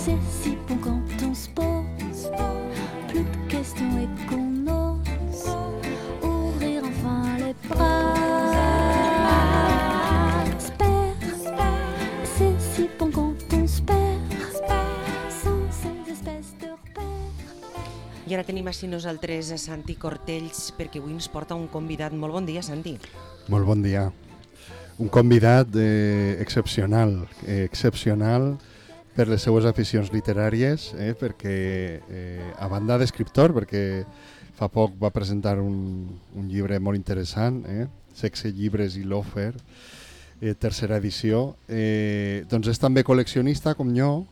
C'est si bon quand on se pose plus de questions et qu'on ose ouvrir enfin les bras. C'est si bon quand on se perd sans ces espèces de repères. I ara tenim així nosaltres a Santi Cortells perquè avui ens porta un convidat. Molt bon dia, Santi. Molt bon dia. Un convidat excepcional per les seues aficions literàries, perquè a banda d'escriptor, perquè fa poc va presentar un llibre molt interessant, Sexe, llibres i loafer, tercera edició, doncs és també col·leccionista com jo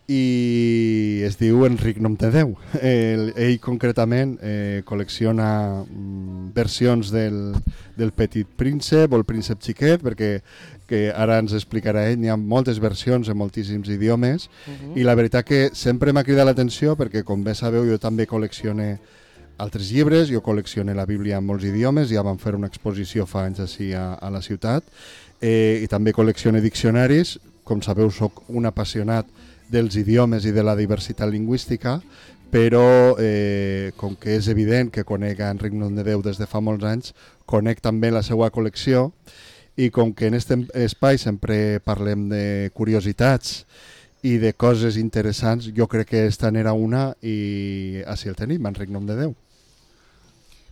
i es diu Enric Nomtedeu. Ell concretament col·lecciona versions del Petit Príncep o el Príncep Xiquet, perquè que ara ens explicarà ell, n'hi ha moltes versions en moltíssims idiomes, i la veritat que sempre m'ha cridat l'atenció perquè, com bé sabeu, jo també col·leccione altres llibres, jo col·leccione la Bíblia en molts idiomes, ja vam fer una exposició fa anys així a la ciutat, i també col·leccione diccionaris. Com sabeu, sóc un apassionat dels idiomes i de la diversitat lingüística, però com que és evident que conec a Enric Nomtedeu des de fa molts anys, conec també la seva col·lecció, i com que en aquest espai sempre parlem de curiositats i de coses interessants, jo crec que esta n'era una i així el tenim, Enric Nomtedeu.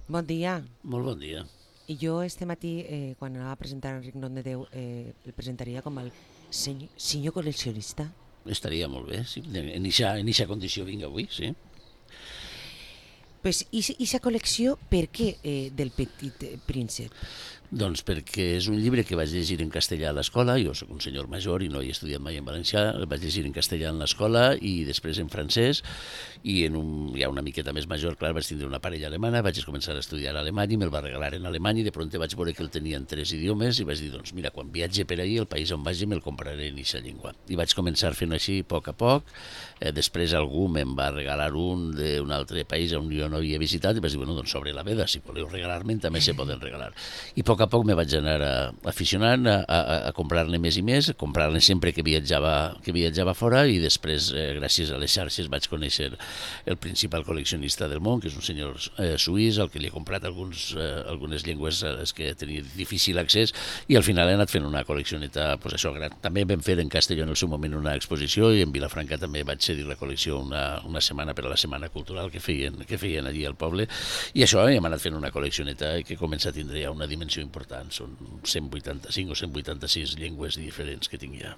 Bon dia. Molt bon dia. I jo este matí, quan anava a presentar Enric Nomtedeu, el presentaria com el senyor col·leccionista. Estaria molt bé, sí. En eixa condició vinc avui, sí. Pues, i sa col·lecció, per què del Petit Príncep? Doncs perquè és un llibre que vaig llegir en castellà a l'escola. Jo soc un senyor major i no he estudiat mai en valencià. El vaig llegir en castellà en l'escola i després en francès. I ja una miqueta més major, clar, vaig tindre una parella alemana, vaig començar a estudiar alemany i me'l va regalar en alemany i de pront vaig veure que el tenia en 3 idiomes i vaig dir, doncs mira, quan viatge per ahir, el país on vagi me'l compraré en eixa llengua. I vaig començar fent així a poc. Després algú me'n va regalar un d'un altre país on jo no havia visitat i vaig dir, bueno, doncs sobre la veda, si voleu regalar-me'n també se poden regalar. I a poc me vaig anar aficionant a comprar-ne més i més, comprar-ne sempre que viatjava fora i després, gràcies a les xarxes, vaig conèixer el principal col·leccionista del món, que és un senyor suís, al que li he comprat algunes llengües a les que tenia difícil accés i al final he anat fent una col·leccioneta, pues això, gran. També vam fer en Castelló en el seu moment una exposició i en Vilafranca també vaig cedir la col·lecció una setmana per a la Setmana Cultural que feien allí al poble i això hem anat fent una col·leccioneta que comença a tindre ja una dimensió important. Són 185 o 186 llengües diferents que tinc ja.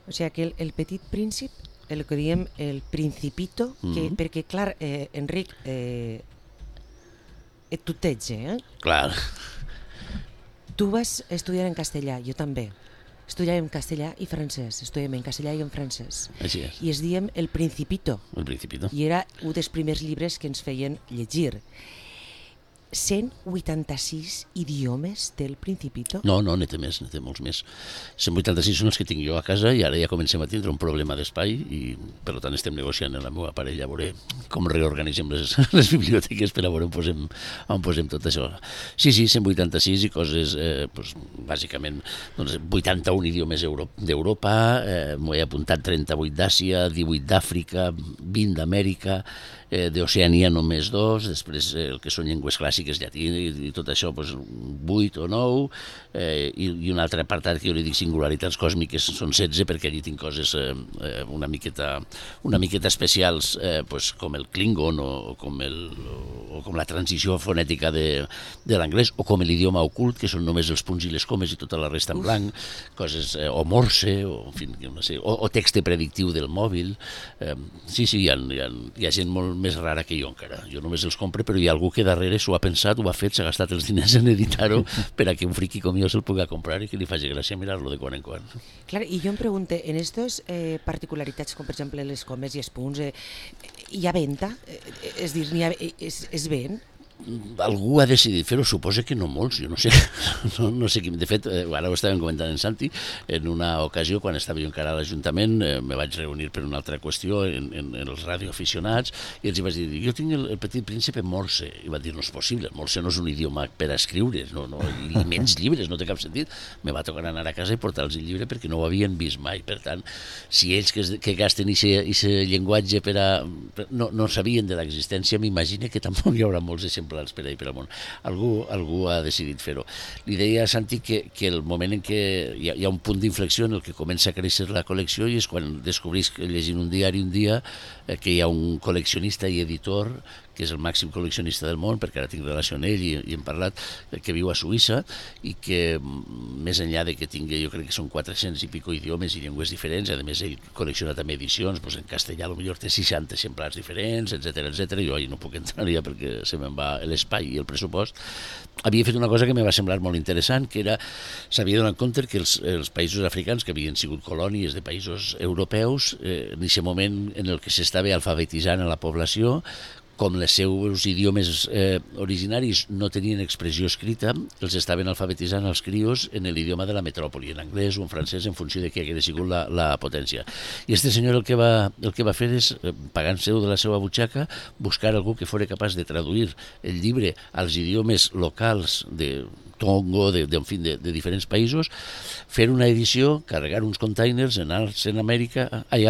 O sigui que el Petit Príncep, el que diem el Principito, perquè, clar, Enric, et tuteja, Clar. Tu vas estudiar en castellà, jo també. Estudiàvem en castellà i francès, estudiàvem en castellà i en francès. Així és. I es diem El Principito. El Principito. I era un dels primers llibres que ens feien llegir. 186 idiomes del Principito? No, ne té molts més. 186 són els que tinc jo a casa i ara ja comencem a tindre un problema d'espai i per tant estem negociant amb la meva parella a veure com reorganitzem les biblioteques per a veure on posem tot això. Sí, 186 i coses, bàsicament, 81 idiomes d'Europa, m'ho he apuntat 38 d'Àsia, 18 d'Àfrica, 20 d'Amèrica, d'Oceania només 2, després el que són llengües clàssiques, llatí i tot això, 8 o 9, i un altre apartat que jo li dic singularitats còsmiques són 16, perquè allí tinc coses una miqueta especials, com el Klingon o com la transició fonètica de l'anglès, o com l'idioma ocult, que són només els punts i les comes i tota la resta en blanc, coses, o morse, o text predictiu del mòbil. Sí, hi ha gent molt més rara que jo encara. Jo només els compre, però hi ha algú que darrere s'ho ha pensat, ho ha fet, s'ha gastat els diners en editar-ho per a que un friqui com jo se'l pugui comprar i que li faci gràcia mirar-lo de quan en quan. Clar, i jo em pregunto, en aquestes particularitats, com per exemple les comes i els punts, hi ha venda? És dir, es ven? algú ha decidit fer-ho, suposa que no molts, jo no sé, no sé qui. De fet, ara ho estàvem comentant en Santi, en una ocasió, quan estava jo encara a l'Ajuntament, me vaig reunir per una altra qüestió en els radioaficionats, i els vaig dir, jo tinc el Petit Príncipe en morse, i van dir, no és possible, el morse no és un idioma per a escriure, i menys llibres, no té cap sentit. Me va tocar anar a casa i portar-los el llibre perquè no ho havien vist mai, per tant, si ells que gasten aquest llenguatge no sabien de l'existència, m'imagino que tampoc hi haurà molts exemplars per ahir per al món. Algú ha decidit fer-ho. Li deia a Santi que el moment en què hi ha un punt d'inflexió en el que comença a créixer la col·lecció i és quan descobrís, llegint un diari un dia, que hi ha un col·leccionista i editor que és el màxim col·leccionista del món, perquè ara tinc relació amb ell i hem parlat, que viu a Suïssa i que, més enllà de que tingui, jo crec que són 400 i pico idiomes i llengües diferents, a més ell col·lecciona també edicions, doncs en castellà potser té 60 exemplars diferents, etc. Jo ahir no puc entrar ja perquè se me'n va l'espai i el pressupost. Havia fet una cosa que me va semblar molt interessant, que era, s'havia donat compte que els països africans, que havien sigut colònies de països europeus, en aquest moment en el que s'estava alfabetitzant a la població, com els seus idiomes originaris no tenien expressió escrita, els estaven alfabetitzant els crios en l'idioma de la metròpoli, en anglès o en francès, en funció de què hagués sigut la potència. I este senyor el que va fer és, pagant-se de la seva butxaca, buscar algú que fos capaç de traduir el llibre als idiomes locals de Tongo, de diferents països, fer una edició, carregar uns containers, anar-se a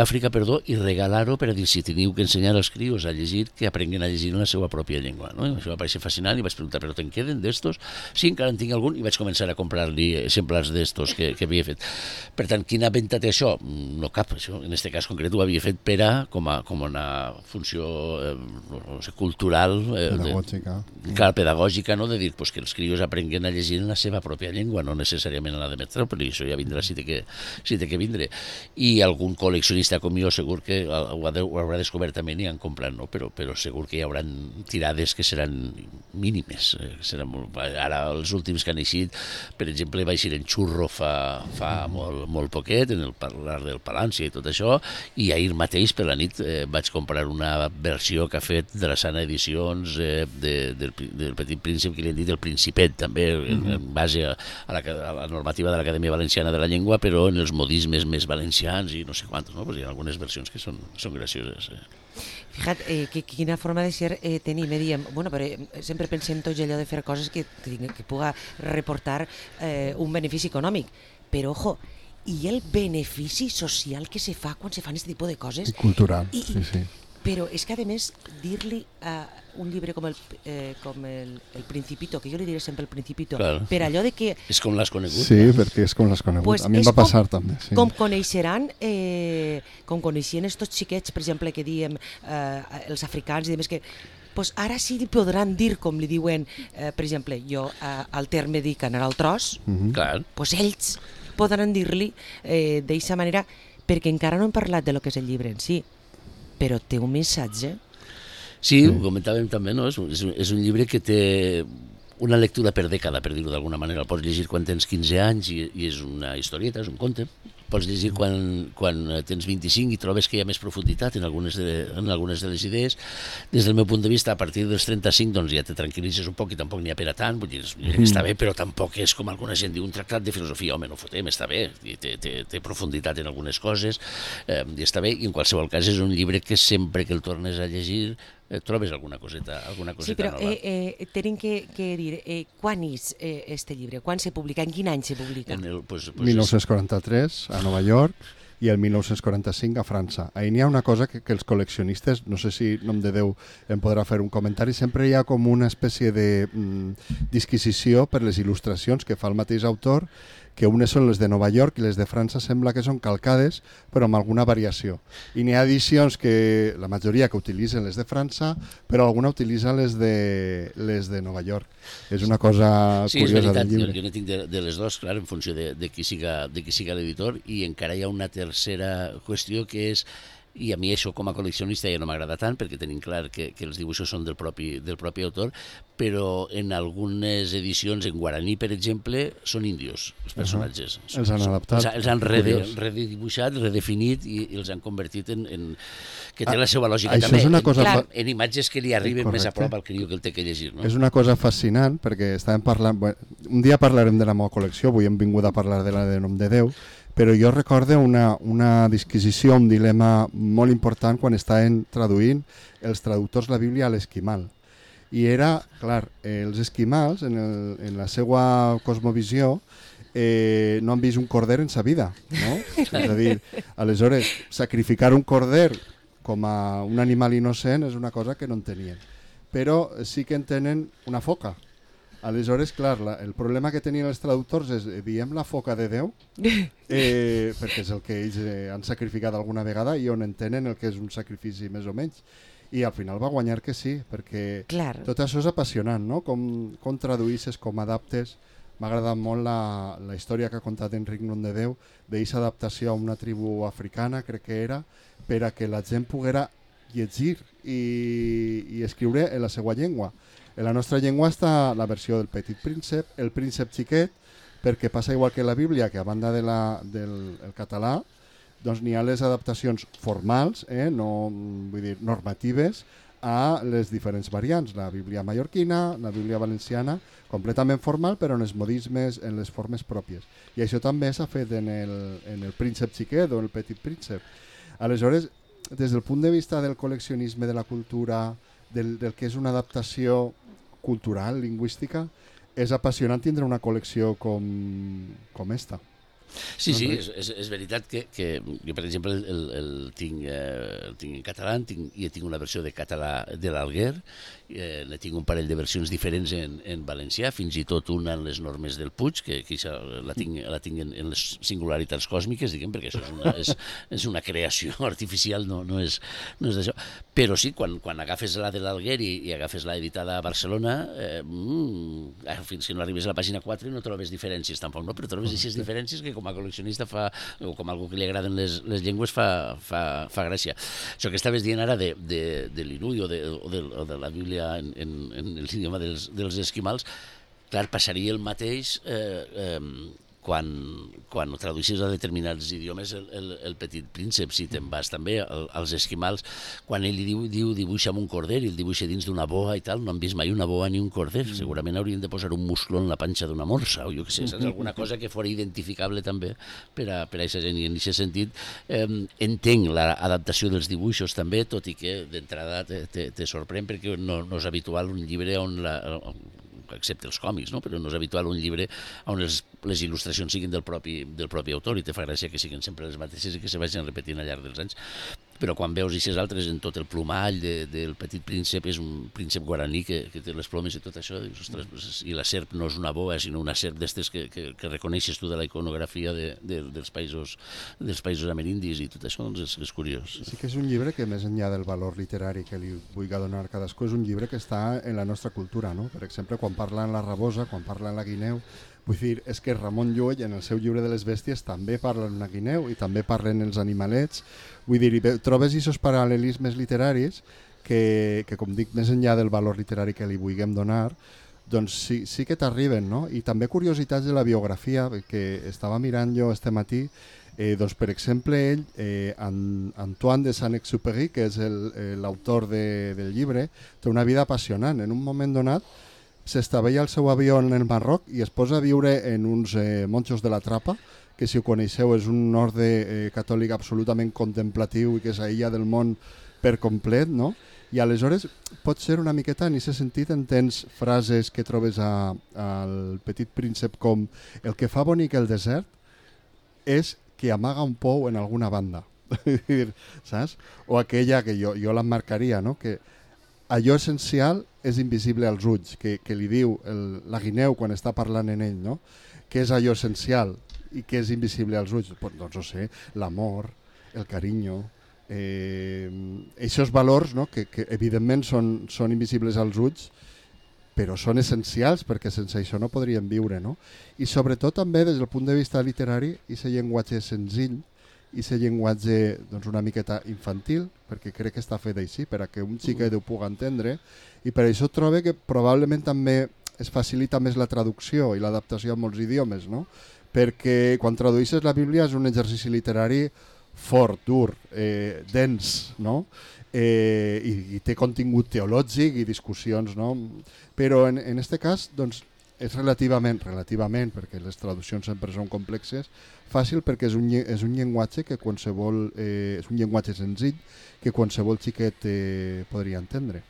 Àfrica, i regalar-ho per a dir, si teniu que ensenyar als crios a llegir, que aprenguin a llegir en la seva pròpia llengua. No? I això va parecer fascinant i vaig preguntar, però te'n queden d'estos? Sí, encara en tinc algun, i vaig començar a comprar-li exemplars d'estos que havia fet. Per tant, quina venta té això? No cap, això. En aquest cas concret ho havia fet per a, com una funció cultural, pedagògica, de dir que els crios aprenguen a llegir en la seva pròpia llengua, no necessàriament en la de metròpoli, això ja vindrà si té que vindre. I algun col·leccionista com jo segur que ho haurà descobert també i han comprat, no? Però segur que hi haurà tirades que seran mínimes. Ara els últims que han eixit, per exemple, va eixir en Xurro fa molt poquet, en el parlar del Palància i tot això, i ahir mateix per la nit vaig comprar una versió que ha fet de la Sana Edicions del Petit Príncep, que li han dit el Principet, també, en base a la normativa de l'Acadèmia Valenciana de la Llengua, però en els modismes més valencians i no sé quantos, no? Pues hi ha algunes versions que són gracioses. Fíjate, quina forma de ser tenim, diem, bueno, però sempre pensem tots allò de fer coses que puga reportar un benefici econòmic, però ojo, i el benefici social que se fa quan se fan aquest tipus de coses. I cultural, sí. Però és que, a més, dir-li a un llibre com el Principito, que jo li diré sempre el Principito, claro, per allò de que... És com l'has conegut. Sí, perquè és com l'has conegut. Pues a mi em va passar també. Sí. Com coneixeran, com coneixien estos xiquets, per exemple, que diem els africans i demés, que pues ara sí li podran dir, com li diuen, per exemple, jo al terme dic anar al tros, pues ells podran dir-li d'aquesta manera, perquè encara no hem parlat de lo que és el llibre en si, però té un missatge. Sí, ho comentàvem també, no? És un llibre que té una lectura per dècada, per dir-ho d'alguna manera. El pots llegir quan tens 15 anys i és una historieta, és un conte. Pots llegir quan tens 25 i trobes que hi ha més profunditat en algunes de les idees. Des del meu punt de vista, a partir dels 35 doncs ja te tranquil·litzes un poc i tampoc n'hi ha per a tant. Vull dir, està bé, però tampoc és com alguna gent diu un tractat de filosofia. Home, no fotem, està bé, té profunditat en algunes coses i està bé. I en qualsevol cas és un llibre que sempre que el tornes a llegir trobes alguna coseta nova. Sí, però tenim que dir, quan és este llibre? Quan se publica? En quin any se publica? 1943, a Nova York, i el 1945 a França. Ahí n'hi ha una cosa que els col·leccionistes, no sé si nom de Déu em podrà fer un comentari, sempre hi ha com una espècie de disquisició per les il·lustracions que fa el mateix autor, que unes són les de Nova York i les de França sembla que són calcades, però amb alguna variació. I n'hi ha edicions que la majoria que utilitzen les de França, però alguna utilitza les de Nova York. És una cosa curiosa del llibre. Jo ne tinc de les dues, clar, en funció de qui siga l'editor, i encara hi ha una tercera qüestió que és i a mi això com a col·leccionista ja no m'agrada tant perquè tenim clar que els dibuixos són del propi autor, però en algunes edicions en guaraní, per exemple, són índios els personatges. Els han adaptat. Els han redibuixat, redefinit i els han convertit en que té la seva lògica això també, és una cosa en imatges que li arriben més a prop al criu que el té que llegir. No? És una cosa fascinant perquè estàvem parlant... Bueno, un dia parlarem de la meva col·lecció, avui hem vingut a parlar de la de Nom de Déu, però jo recordo una disquisició, un dilema molt important quan estaven traduint els traductors la Bíblia a l'esquimal. I era, clar, els esquimals, en la seva cosmovisió, no han vist un corder en sa vida, no? És a dir, aleshores, sacrificar un corder com a un animal innocent és una cosa que no entenien. Però sí que entenen una foca. Aleshores, clar, el problema que tenien els traductors és, diem la foca de Déu, perquè és el que ells han sacrificat alguna vegada i on entenen el que és un sacrifici més o menys. I al final va guanyar que sí, perquè tot això és apassionant, no? Com traduïsses, com adaptes. M'ha agradat molt la història que ha contat Enric Nom de Déu d'aquesta adaptació a una tribu africana, crec que era, per a que la gent poguera llegir i escriure en la seva llengua. En la nostra llengua està la versió del Petit Príncep, el Príncep Xiquet, perquè passa igual que la Bíblia, que a banda del català, doncs n'hi ha les adaptacions formals, no, vull dir, normatives, a les diferents variants. La Bíblia mallorquina, la Bíblia valenciana, completament formal, però en els modismes, en les formes pròpies. I això també s'ha fet en el Príncep Xiquet o el Petit Príncep. Aleshores, des del punt de vista del col·leccionisme, de la cultura, del que és una adaptació cultural, lingüística, és apassionant tindre una col·lecció com esta. Sí, sí, és veritat que jo, per exemple, el tinc en català i tinc una versió de català de l'Alguer, ne tinc un parell de versions diferents en valencià, fins i tot una en les normes del Puig, que la tinc en les singularitats còsmiques, diguem, perquè això és una creació artificial, no és d'això. Però sí, quan agafes la de l'Alguer i agafes la editada a Barcelona, fins que no arribes a la pàgina 4 no trobes diferències tampoc, no? Però trobes aquestes diferències que com a col·leccionista o com a algú que li agraden les llengües fa gràcia. Això que estaves dient ara de l'Inui o de la Bíblia en l'idioma dels esquimals, clar, passaria el mateix quan ho traduïssis a determinats idiomes el Petit Príncep, si te'n vas també als esquimals, quan ell li diu dibuixa amb un corder i el dibuixa dins d'una boa i tal, no han vist mai una boa ni un corder, segurament haurien de posar un muscló en la panxa d'una morsa o jo què sé, saps? Alguna cosa que fos identificable també per a aquesta gent, i en aquest sentit entenc l'adaptació dels dibuixos també, tot i que d'entrada te sorprèn perquè no és habitual un llibre on excepte els còmics, no? Però no és habitual un llibre on les il·lustracions siguin del propi autor i te fa gràcia que siguin sempre les mateixes i que se vagin repetint al llarg dels anys. Però quan veus aquestes altres en tot el plomall del Petit Príncep, és un príncep guaraní que té les plomes i tot això, dius, ostres, i la serp no és una boa, sinó una serp d'estes que reconeixes tu de la iconografia dels països amerindis i tot això, doncs és curiós. Sí que és un llibre que, més enllà del valor literari que li vull donar a cadascú, és un llibre que està en la nostra cultura, no? Per exemple, quan parla en la rabosa, quan parla en la guineu, vull dir, és que Ramon Llull en el seu llibre de les bèsties també parla en la guineu i també parlen els animalets. Vull dir, trobes aquests paral·lelismes literaris que, com dic, més enllà del valor literari que li vulguem donar, doncs sí que t'arriben, no? I també curiositats de la biografia, que estava mirant jo este matí, doncs, per exemple, Antoine de Saint-Exupéry, que és l'autor del llibre, té una vida apassionant. En un moment donat s'estavella el seu avió en el Marroc i es posa a viure en uns monjos de la Trapa, que si ho coneixeu és un orde catòlic absolutament contemplatiu i que s'aïlla del món per complet, no? I aleshores pot ser una miqueta, en aquest sentit entens frases que trobes al Petit Príncep com el que fa bonic el desert és que amaga un pou en alguna banda, saps? O aquella que jo l'emmarcaria, no? Que allò essencial és invisible als ulls, que li diu la guineu quan està parlant en ell, no? Què és allò essencial i què és invisible als ulls? Doncs no sé, l'amor, el carinyo, aquests valors, no? que evidentment són invisibles als ulls, però són essencials perquè sense això no podríem viure, no? I sobretot també des del punt de vista literari, aquest llenguatge senzill i ser llenguatge doncs, una miqueta infantil, perquè crec que està fet així, per a que un xiquet ho pugui entendre, i per això trobo que probablement també es facilita més la traducció i l'adaptació a molts idiomes, no? Perquè quan tradueixes la Bíblia és un exercici literari fort, dur, dens, no? I té contingut teològic i discussions, no? Però en aquest cas doncs, és relativament, perquè les traduccions sempre són complexes, fàcil perquè és un llenguatge que qualsevol, és un llenguatge senzill que qualsevol xiquet podria entendre.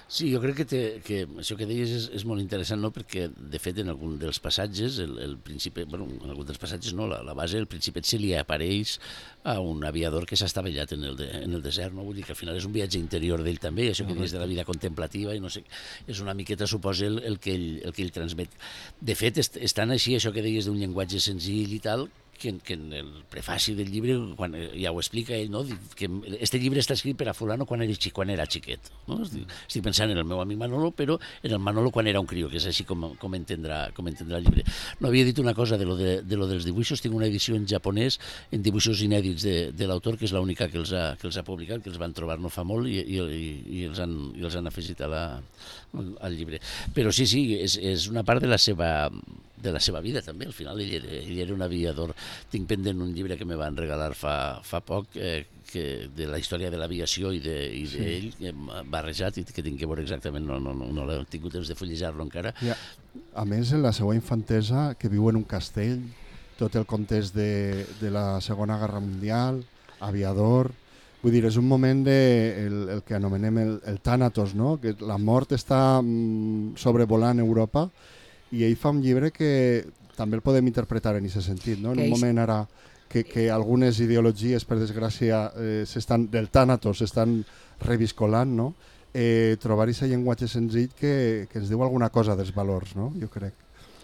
Sí, jo crec que això que deies és molt interessant, no? Perquè, de fet, en algun dels passatges, el príncipe, bueno, en algun dels passatges no, la base, el principet se li apareix a un aviador que s'ha estavellat en el desert, no? Vull dir que al final és un viatge interior d'ell també, això que deies de la vida contemplativa, i no sé, és una miqueta, suposa, el que ell transmet. De fet, és tan així, això que deies d'un llenguatge senzill i tal, que en el prefaci del llibre quan ja ho explica ell, no? Que este llibre està escrit per a fulano quan era xiquet, no? Estic pensant en el meu amic Manolo, però en el Manolo quan era un crió, que és així com entendrà el llibre. No havia dit una cosa de lo dels dibuixos, tinc una edició en japonès en dibuixos inèdits de l'autor, que és l'única que els ha publicat, que els van trobar no fa molt i els han afegit al llibre. Però sí, és una part de la seva vida també. Al final ell era un aviador. Tinc pendent un llibre que me van regalar fa poc de la història de l'aviació i d'ell barrejat, i que tinc que veure exactament, no l'he tingut temps de fullejar-lo encara. A més, en la seva infantesa, que viu en un castell, tot el context de la Segona Guerra Mundial, aviador. Vull dir, és un moment el que anomenem el Thanatos, no? Que la mort està sobrevolant Europa, i ell fa un llibre que també el podem interpretar en aquest sentit, no? En un moment ara que algunes ideologies, per desgràcia, del Thanatos s'estan reviscolant, no? Trobar aquest llenguatge senzill que ens diu alguna cosa dels valors, no? Jo crec.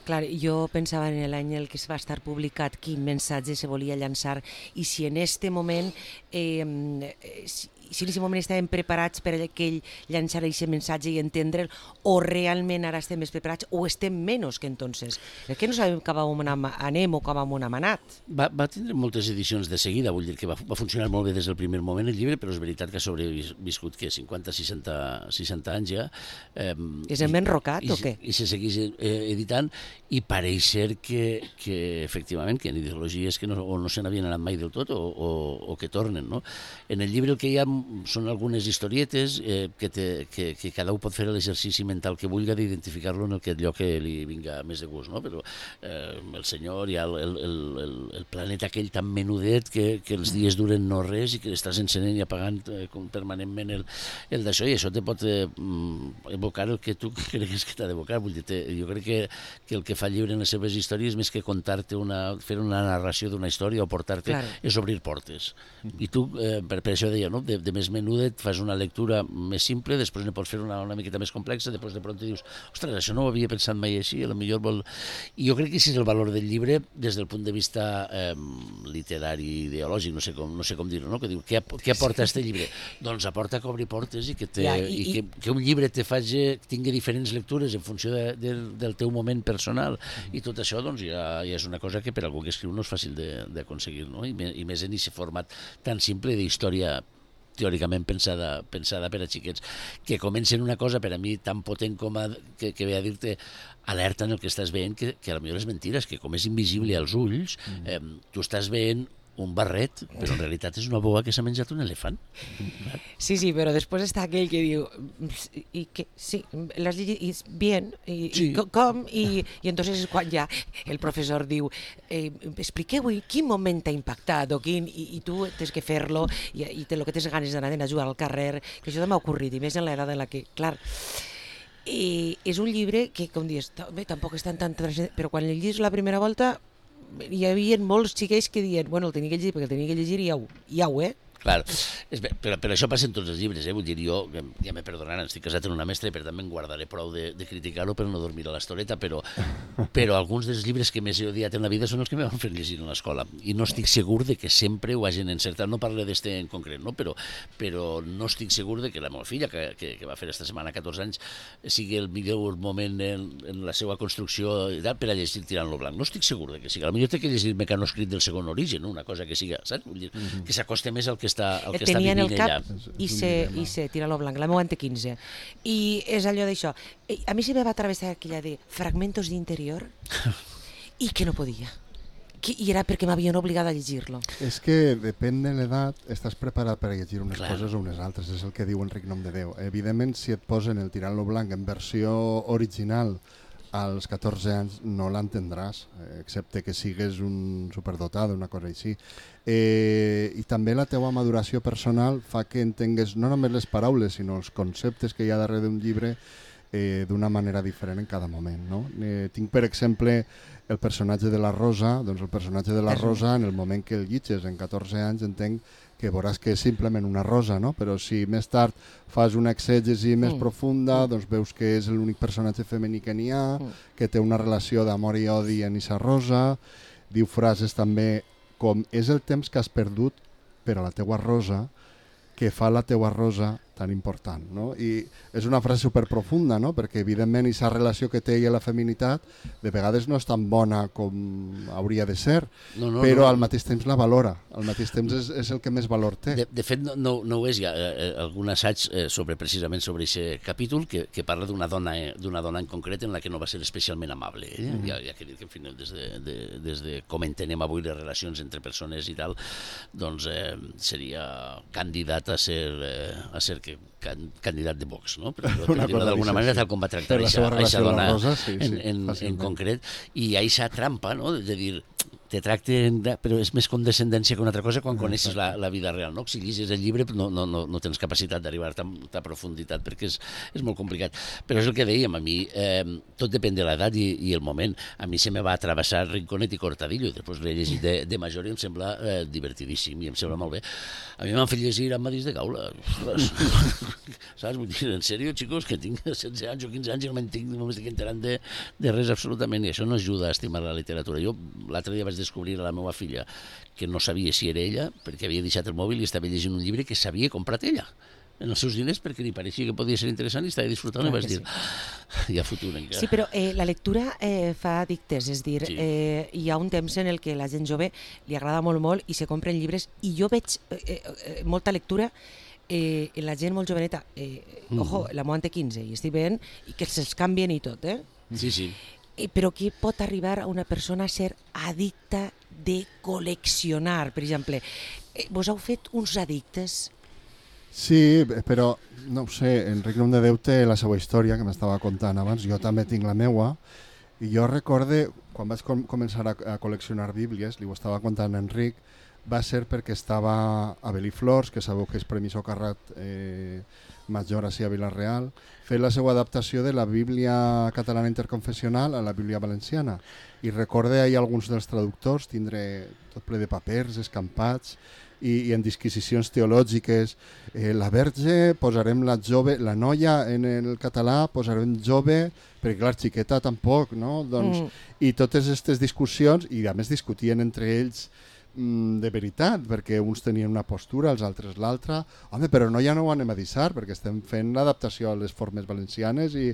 Clar, jo pensava en l'any en què es va estar publicat quin missatge se volia llançar i si en aquest moment si en aquest moment estàvem preparats per que ell llançara aquest missatge i entendre'l, o realment ara estem més preparats o estem menys que entonces. És que no sabem cap on anem o cap on hem anat. Va tindre moltes edicions de seguida, vull dir que va funcionar molt bé des del primer moment el llibre, però és veritat que ha sobreviscut 50-60 anys ja. És hem enrocat o què? I se segueix editant, i pareix ser que efectivament que en ideologies que no se n'havien anat mai del tot o que tornen, no? En el llibre el que hi ha són algunes historietes que cada un pot fer l'exercici mental que vulgui d'identificar-lo en allò que li vinga més de gust, no? Però el senyor hi ha el planeta aquell tan menudet que els dies duren no res i que estàs encenent i apagant permanentment el d'això, i això te pot evocar el que tu cregues que t'ha d'evocar. Vull dir, jo crec que el que fa el llibre en les seves històries, més que contar-te fer una narració d'una història o portar-te, és obrir portes. I tu, per això deia, no? De més menuda et fas una lectura més simple, després ne pots fer una miqueta més complexa, després de pront dius, ostres, això no ho havia pensat mai així, potser vol... I jo crec que aquest és el valor del llibre des del punt de vista literari, ideològic, no sé com dir-ho, no? Que diu, què aporta aquest llibre? Doncs aporta que obri portes i que un llibre tingui diferents lectures en funció del teu moment personal, i tot això doncs, ja és una cosa que per algú que escriu no és fàcil d'aconseguir, no? I més en aquest format tan simple d'història teòricament pensada per a xiquets, que comencen una cosa per a mi tan potent com que ve a dir-te alerta en el que estàs veient, que potser és mentira, que com és invisible als ulls, tu estàs veient un barret, però en realitat és una boa que s'ha menjat un elefant. Sí, però després està aquell que diu i que sí, l'has llegit bien, com? I entonces és quan ja el professor diu expliqueu quin moment t'ha impactat i tu tens que fer-lo i el que tens ganes d'anar a jugar al carrer, que això m'ha ocorrit, i més en l'edat en la que, clar, és un llibre que, com dius, tampoc és tan però quan el llegis la primera volta hi havia molts xiquets que diuen, bueno, el tenia que llegir perquè el tenia que llegir i ja ho, Clar, però això passa en tots els llibres, vull dir, jo, ja me perdonaran, estic casat en una mestra i per tant me'n guardaré prou de criticar-ho per no dormir a l'estoreta, però alguns dels llibres que més he odiat en la vida són els que me van fer llegir a l'escola, i no estic segur de que sempre ho hagin encertat, no parlo d'este en concret, no? Però no estic segur de que la meva filla, que va fer esta setmana 14 anys, sigui el millor moment en la seva construcció per a llegir Tirant lo blanc, no estic segur de que sigui, potser té que llegir Mecanoscrit del segon origen, una cosa que siga, saps? Vull dir, que s'acoste més al que està tenia en el vivint cap ella. i se tira lo blanc, la meva en té 15. I és allò d'això. A mi se me va atravessar aquella de fragmentos d'interior i que no podia. I era perquè m'havien obligat a llegir-lo. És que depèn de l'edat, estàs preparat per a llegir unes Clar. coses o unes altres, és el que diu Enric Nom de Déu. Evidentment, si et posen el Tirant lo blanc en versió original als 14 anys no l'entendràs, excepte que sigues un superdotat, una cosa així. I també la teua maduració personal fa que entengues no només les paraules, sinó els conceptes que hi ha darrere d'un llibre d'una manera diferent en cada moment. No? Tinc, per exemple, el personatge de la Rosa, doncs el personatge de la Rosa, en el moment que el llitges, en 14 anys, entenc que veuràs que és simplement una rosa, no? Però si més tard fas una exègesi més profunda, doncs veus que és l'únic personatge femení que n'hi ha, que té una relació d'amor i odi en esa rosa, diu frases també com és el temps que has perdut per a la teua rosa que fa la teua rosa tan important, no? I és una frase superprofunda, no? Perquè evidentment aquesta relació que té ella la feminitat de vegades no és tan bona com hauria de ser, però al mateix temps la valora, al mateix temps és el que més valor té. De fet, no ho és, hi ha algun assaig precisament sobre aquest capítol que parla d'una dona en concret en la que no va ser especialment amable. Hi ha que dir que, en fi, des de com entenem avui les relacions entre persones i tal, doncs seria candidat a ser candidat de Vox, no? Per dir-ho d'alguna manera, tal com va tractar aquesta dona en concret. I hi ha aquesta trampa, no?, de dir, te tracten, però és més condescendència que una altra cosa quan coneixes la vida real, no? Si llegis el llibre no tens capacitat d'arribar a tanta profunditat perquè és molt complicat. Però és el que dèiem, a mi tot depèn de l'edat i el moment. A mi se me va travessar Rinconet i Cortadillo i després l'he llegit de major i em sembla divertidíssim i em sembla molt bé. A mi m'han fet llegir Amadís de Gaula. Saps? Vull dir, en sèrio, xicos, que tinc 16 anys o 15 anys i no m'estic enterant de res absolutament i això no ajuda a estimar la literatura. Jo l'altre dia vaig descobrir a la meva filla que no sabia si era ella perquè havia deixat el mòbil i estava llegint un llibre que s'havia comprat ella en els seus diners perquè li pareixia que podia ser interessant i estava disfrutant i vaig dir, hi ha futur encara. Sí, però la lectura fa addictes, és dir, hi ha un temps en el que la gent jove li agrada molt i se compren llibres i jo veig molta lectura en la gent molt joveneta, ojo, la meva en té 15 i estic veient i que se'ls canvien i tot, Sí. Però qui pot arribar a una persona a ser addicta de col·leccionar, per exemple? Vos heu fet uns addictes? Sí, però no ho sé, Enric Nom de Déu té la seva història que m'estava contant abans, jo també tinc la meua i jo recorde quan vaig començar a col·leccionar bíblies, li ho estava contant a Enric, va ser perquè estava a Beliflors, que sabeu que és Premi Socarrat major així a Vila-real, fer la seva adaptació de la Bíblia catalana interconfessional a la Bíblia valenciana. I recorde ahir alguns dels traductors tindre tot ple de papers escampats i en disquisicions teològiques. La verge posarem la noia en el català, posarem jove, perquè clar, xiqueta tampoc, no? Doncs, i totes aquestes discussions, i a més discutien entre ells de veritat, perquè uns tenien una postura, els altres l'altra. Home, però no, ja no ho anem a deixar, perquè estem fent l'adaptació a les formes valencianes i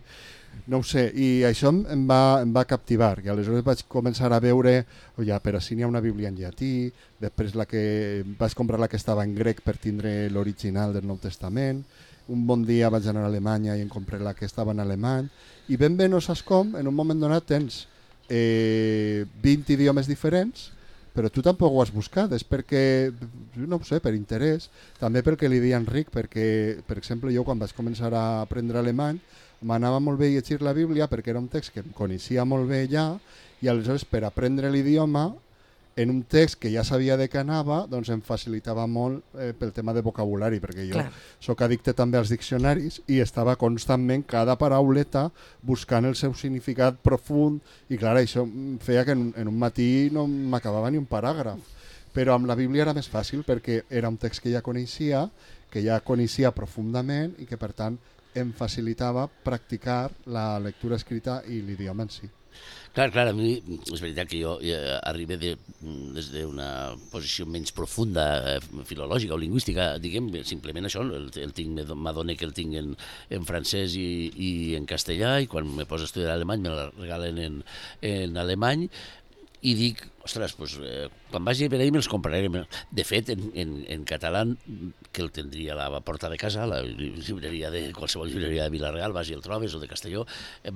no ho sé, i això em va captivar, i aleshores vaig començar a veure, per així n'hi ha una Bíblia en llatí, després vaig comprar la que estava en grec per tindre l'original del Nou Testament, un bon dia vaig anar a Alemanya i em compré la que estava en alemany, i ben bé no saps com, en un moment donat tens 20 idiomes diferents, però tu tampoc ho has buscat, és perquè, no ho sé, per interès, també pel que li deia Enric, perquè, per exemple, jo quan vaig començar a aprendre alemany, m'anava molt bé llegir la Bíblia perquè era un text que em coneixia molt bé ja, i aleshores per aprendre l'idioma, en un text que ja sabia de què anava, doncs em facilitava molt pel tema de vocabulari, perquè jo sóc addicte també als diccionaris i estava constantment cada parauleta buscant el seu significat profund i clar, això feia que en un matí no m'acabava ni un paràgraf. Però amb la Bíblia era més fàcil perquè era un text que ja coneixia profundament i que per tant em facilitava practicar la lectura escrita i l'idioma en si. Clar, a mi és veritat que jo arribo des d'una posició menys profunda, filològica o lingüística, diguem, simplement això, m'adone que el tinc en francès i en castellà, i quan me poso a estudiar alemany me la regalen en alemany, i dic, ostres, doncs, quan vagi per ahir me'ls compraré. De fet, en català, que el tindria a la porta de casa, la llibreria qualsevol llibreria de Vila-real, vas i el trobes, o de Castelló,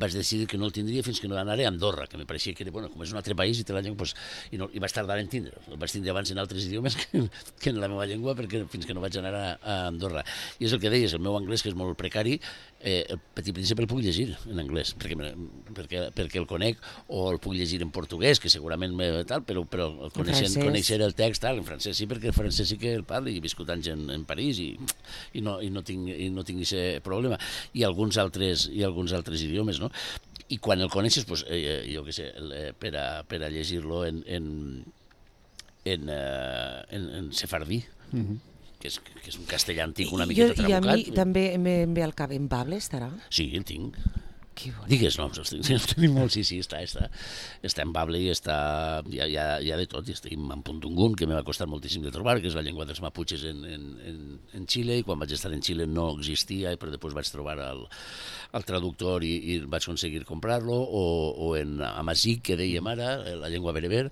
vaig decidir que no el tindria fins que no anaré a Andorra, que me pareixia que era, bueno, com és un altre país i té la llengua, doncs, i vaig tardar en tindre. El vaig tindre abans en altres idiomes que en la meva llengua, fins que no vaig anar a Andorra. I és el que deies, el meu anglès, que és molt precari, el Petit Príncipe el puc llegir en anglès, perquè el conec, o el puc llegir en portuguès, que segurament tal, però conèixer el text en francès sí, perquè el francès sí que el parlo i he viscut anys en París i no tinc aquest problema, i alguns altres idiomes, no? I quan el coneixes, doncs, jo què sé, per a llegir-lo en sefardí, que és un castellà antic una miqueta trabucat. I a mi també em ve al cap, en Bable estarà? Sí, el tinc. Que bonic. Digues noms, els tenim molt, sí, està en Bable i hi ha de tot, i estem en Puntungun, que m'ha costat moltíssim de trobar, que és la llengua dels maputxes en Xile, i quan vaig estar en Xile no existia, però després vaig trobar el traductor i vaig aconseguir comprar-lo, o en Amazic, que dèiem ara, la llengua bereber,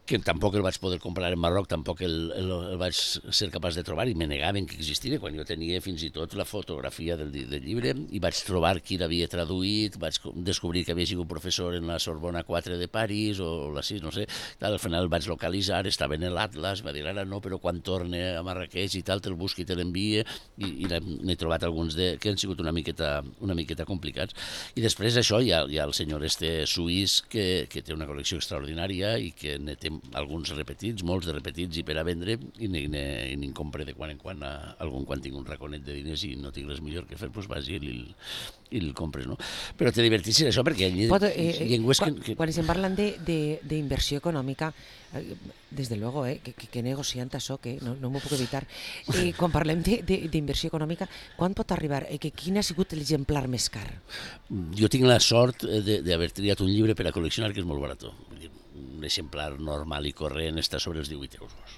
que tampoc el vaig poder comprar en Marroc, tampoc el vaig ser capaç de trobar, i me negaven que existia, quan jo tenia fins i tot la fotografia del llibre, i vaig trobar qui l'havia traduït, vaig descobrir que havia sigut professor en la Sorbona 4 de París, o la 6, no sé, al final el vaig localitzar, estava en l'Atlas, va dir, ara no, però quan torne a Marrakeix i tal, te'l busqui i te l'envie, i n'he trobat alguns que han sigut una miqueta complicats. I després això hi ha el senyor suís, que té una col·lecció extraordinària i que ne té alguns repetits, molts de repetits i per a vendre, i n'hi compre de quan en quan algun, quan tinc un raconet de diners i no tinc res millor que fer, doncs vas i el compres, no? Però te diverteixes això perquè llengües que... Quan estem parlant d'inversió econòmica, desde luego, que negociant això, no m'ho puc evitar, quan parlem d'inversió econòmica, quan pot arribar? Quin ha sigut l'exemplar més car? Jo tinc la sort d'haver triat un llibre per a col·leccionar que és molt barat. Un exemplar normal i corrent està sobre els 18 euros.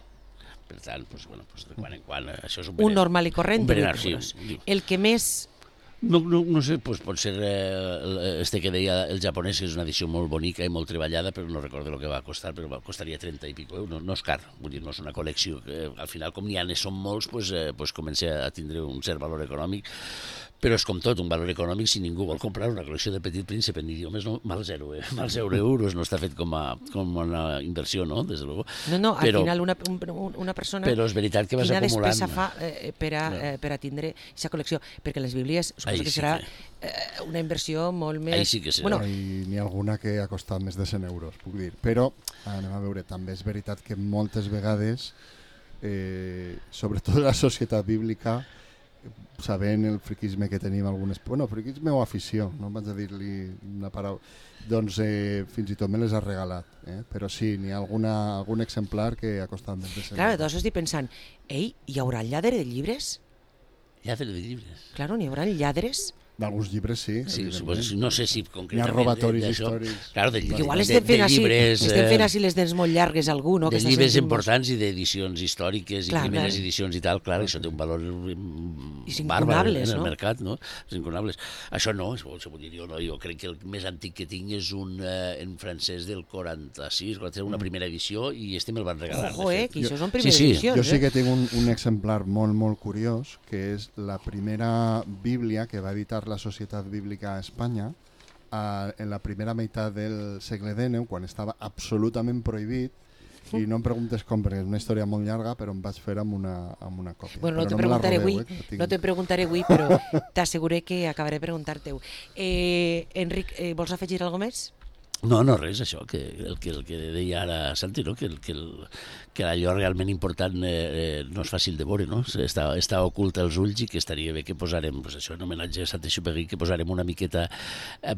Per tant, de quan en quan, això és un normal i corrent de 18 euros. El que més... No sé, pot ser que deia el japonès, que és una edició molt bonica i molt treballada, però no recordo el que va costar, però costaria 30 i pico euros. No és car, vull dir, no és una col·lecció que al final, com n'hi ha són molts, comença a tindre un cert valor econòmic, però és com tot, un valor econòmic. Si ningú vol comprar una col·lecció de Petit Príncipe en idiomes, no, mal zero euros, no està fet com una inversió, no? Des de luego. No, al final una persona... Però és veritat que vas acumulant... Quina despesa fa per a tindre aquesta col·lecció? Perquè les Bíblies suposo que serà una inversió molt més... Sí que serà. N'hi ha alguna que ha costat més de 100 euros, puc dir. Però, anem a veure, també és veritat que moltes vegades, sobretot la societat bíblica, sabent el friquisme que tenim algunes... Bueno, friquisme o afició, no vaig a dir-li una paraula. Doncs fins i tot me les ha regalat. Però sí, n'hi ha algun exemplar que ha costat més de 100 euros. Clar, doncs estic pensant, hi haurà lladre de llibres? Lladre de llibres? Claro, n'hi haurà lladres? D'alguns llibres sí. Sí, no sé si concretament... Hi ha robatoris històrics. Claro, igual estem fent així les dents molt llargues algú, no? De llibres importants i d'edicions històriques i primeres edicions i tal, clar, això té un valor bàrbar en el mercat, no? És incunables. Això no, jo crec que el més antic que tinc és un en francès del 46, una primera edició, i me'l van regalar. Ojo, que això són primeres edicions. Jo sí que tinc un exemplar molt, molt curiós, que és la primera Bíblia que va editar la Societat Bíblica a Espanya en la primera meitat del segle XIX, quan estava absolutament prohibit, i no em preguntes com, perquè és una història molt llarga, però em vaig fer amb una còpia. Bueno, no te preguntaré avui, però t'asseguré que acabaré preguntar-te-ho. Enric, vols afegir alguna més? No, res, això, que el que deia ara Santi, no? que allò realment important no és fàcil de veure, no? Està ocult als ulls i que estaria bé que posarem, pues això, en homenatge a Saint-Exupéry, que posarem una miqueta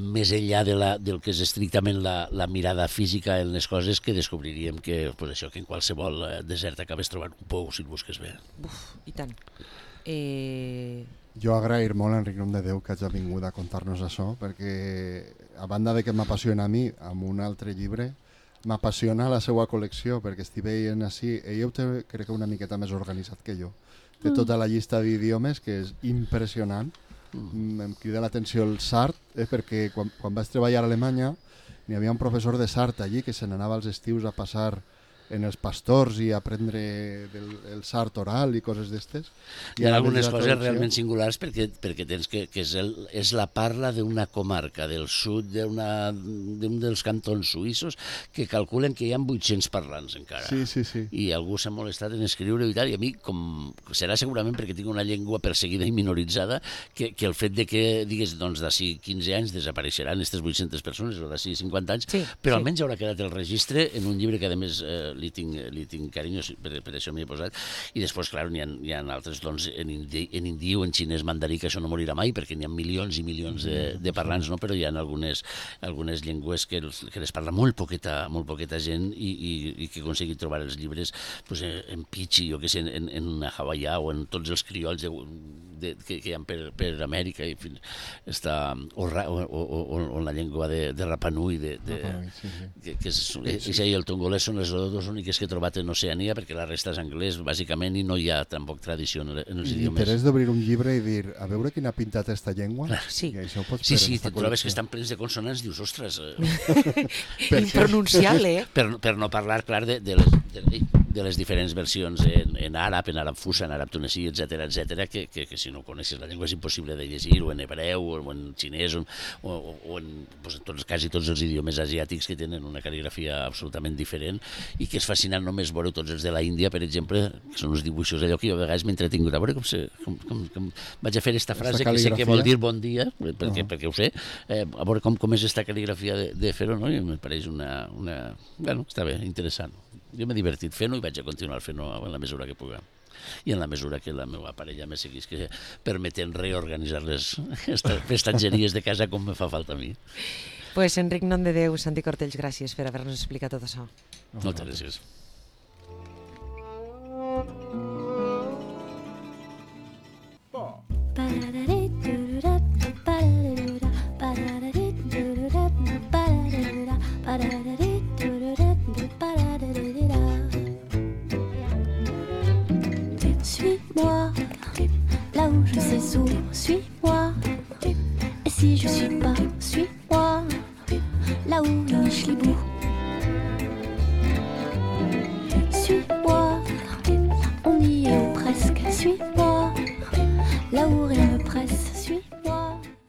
més enllà del que és estrictament la mirada física en les coses, que descobriríem que, pues això, que en qualsevol desert acabes trobant un pou si el busques bé. Uf, i tant. Jo agrair molt a Enric Nom de Déu que hagi vingut a contar-nos això, perquè a banda de que m'apassiona a mi, amb un altre llibre, m'apassiona la seva col·lecció, perquè estic veient així, ell ho té, crec que una miqueta més organitzat que jo. Té tota la llista d'idiomes, que és impressionant. Em crida l'atenció el sard, perquè quan vaig treballar a Alemanya n'hi havia un professor de sard allí que se n'anava als estius a passar en els pastors i aprendre el sard oral i coses d'estes. Hi ha algunes coses realment singulars perquè tens que és la parla d'una comarca del sud d'un dels cantons suïssos que calculen que hi ha 800 parlants encara. Sí. I algú s'ha molestat en escriure i tal, i a mi, com serà segurament perquè tinc una llengua perseguida i minoritzada, que el fet de que, digues, doncs d'ací 15 anys desapareixeran aquestes 800 persones o d'ací 50 anys, però almenys haurà quedat el registre en un llibre que a més li tinc carinyo, per això m'hi he posat. I després, clar, n'hi ha altres doncs, en indi o en xinès mandarí, que això no morirà mai, perquè n'hi ha milions i milions de parlants, no? Però hi ha algunes llengües que les parla molt poqueta gent i que aconseguit trobar els llibres pues, en pitxi, jo què sé, en hawaià o en tots els criolls que hi ha per Amèrica, i o la llengua de Rapa Nui, que és el tongolès, són les dos úniques que he trobat en Oceania, perquè la resta és anglès, bàsicament, i no hi ha tampoc tradició en els idiomes. L'interès d'obrir un llibre i dir, a veure quina ha pintat esta llengua? Sí, te trobes que estan plens de consonants, dius, ostres... impronunciable, Per no parlar, clar, de les diferents versions en àrab fusa, en àrab tunesí, etc, que si no coneixes la llengua és impossible de llegir, o en hebreu, o en xinès, o en quasi tots els idiomes asiàtics que tenen una cal·ligrafia absolutament diferent, i que és fascinant només veure tots els de la Índia, per exemple, que són uns dibuixos allò que jo a vegades m'he entretingut a veure com vaig a fer aquesta frase que sé que vol dir bon dia, perquè ho sé, a veure com és aquesta cal·ligrafia de fer-ho, no? I em pareix una... Bueno, està bé, interessant. Jo m'he divertit fent-ho i vaig a continuar fent-ho en la mesura que puguem. I en la mesura que la meva parella me seguís permetent reorganitzar les prestatgeries de casa com me fa falta a mi. Pues Enric Nom de Déu, Santi Cortells, gràcies per haver-nos explicat tot això. Moltes gràcies. Suis-moi, là où je sais où, suis-moi. Et si je suis pas